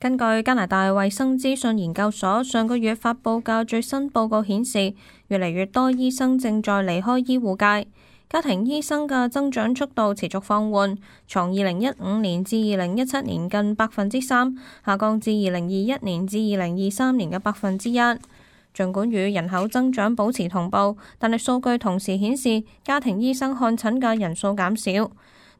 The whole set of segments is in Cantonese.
根據加拿大衛生資訊研究所上個月發佈嘅最新報告顯示，越嚟越多醫生正在離開醫護界，家庭醫生嘅增長速度持續放緩，從2015年至2017年近3%，下降至2021年至2023年嘅1%。儘管與人口增長保持同步，但係數據同時顯示家庭醫生看診嘅人數減少。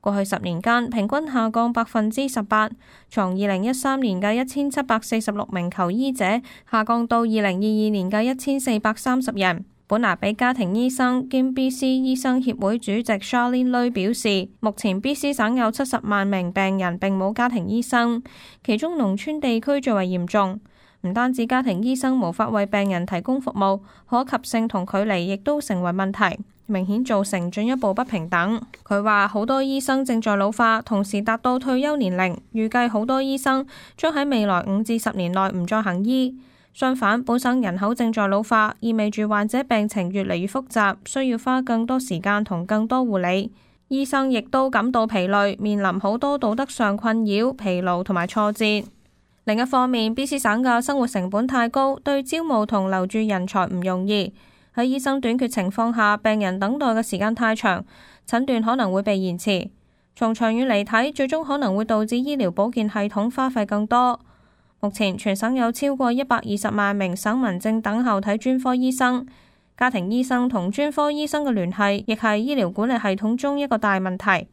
過去10年間，平均下降18%，從2013年嘅1746名求醫者下降到2022年嘅1430人。本拿比家庭醫生兼 BC 醫生協會主席 Charlene Lui 表示，目前 BC 省有70萬名病人並冇家庭醫生，其中農村地區最為嚴重。唔單止家庭醫生無法為病人提供服務，可及性同距離亦都成為問題，明顯造成進一步不平等。佢話好多醫生正在老化，同時達到退休年齡，預計好多醫生將喺未來5至10年內唔再行醫。相反，本省人口正在老化，意味住患者病情越嚟越複雜，需要花更多時間同更多護理。醫生亦都感到疲累，面臨好多道德上困擾、疲勞同埋挫折。另一方面，BC 省嘅生活成本太高，對招募同留住人才唔容易。喺醫生短缺情況下，病人等待嘅時間太長，診斷可能會被延遲。從長遠嚟睇，最終可能會導致醫療保健系統花費更多。目前全省有超過120萬名省民正等候睇專科醫生，家庭醫生同專科醫生嘅聯繫亦係醫療管理系統中一個大問題。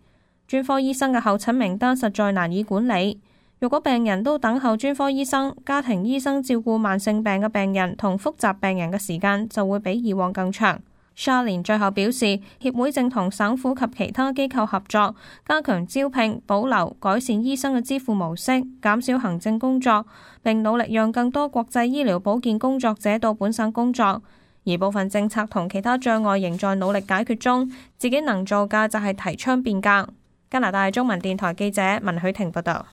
專科醫生嘅候診名單實在難以管理。如果病人都等候專科醫生，家庭醫生照顧慢性病嘅病人同複雜病人嘅時間就會比以往更長。Charlene 最後表示，協會正同省府及其他機構合作，加強招聘、保留、改善醫生嘅支付模式，減少行政工作，並努力讓更多國際醫療保健工作者到本省工作。而部分政策同其他障礙仍在努力解決中，自己能做嘅就係提倡變革。加拿大中文電台記者文許婷報道。